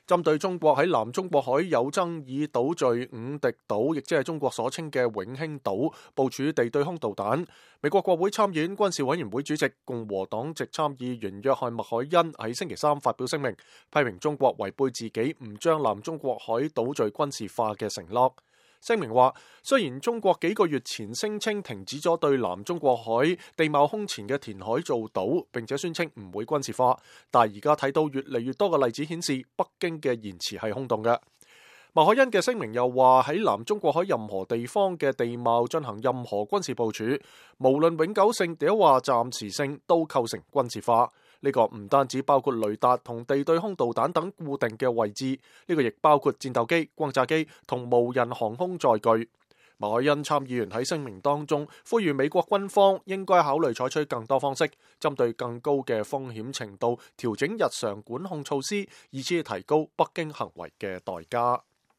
針對中國喺南中國海有爭議島嶼五敵島，亦即係中國所稱嘅永興島，部署地對空導彈。美國國會參議院軍事委員會主席共和黨籍參議員約翰麥凱恩喺星期三發表聲明，批評中國違背自己唔將南中國海島嶼軍事化嘅承諾。聲明話，雖然中國幾個月前聲稱停止咗對南中國海地貌空前嘅填海造島，並且宣稱唔會軍事化，但係而家睇到越嚟越多嘅例子顯示，北京嘅言辭係空洞嘅。麥凱恩嘅聲明又話，喺南中國海任何地方嘅地貌進行任何軍事部署，無論永久性定話暫時性，都構成軍事化。呢個唔單止包括雷達同地對空導彈等固定嘅位置，呢個亦包括戰鬥機、轟炸機同無人航空載具。麥凱恩參議員喺聲明當中呼籲美國軍方應該考慮採取更多方式，針對更高嘅風險程度調整日常管控措施，以至提高北京行為嘅代價。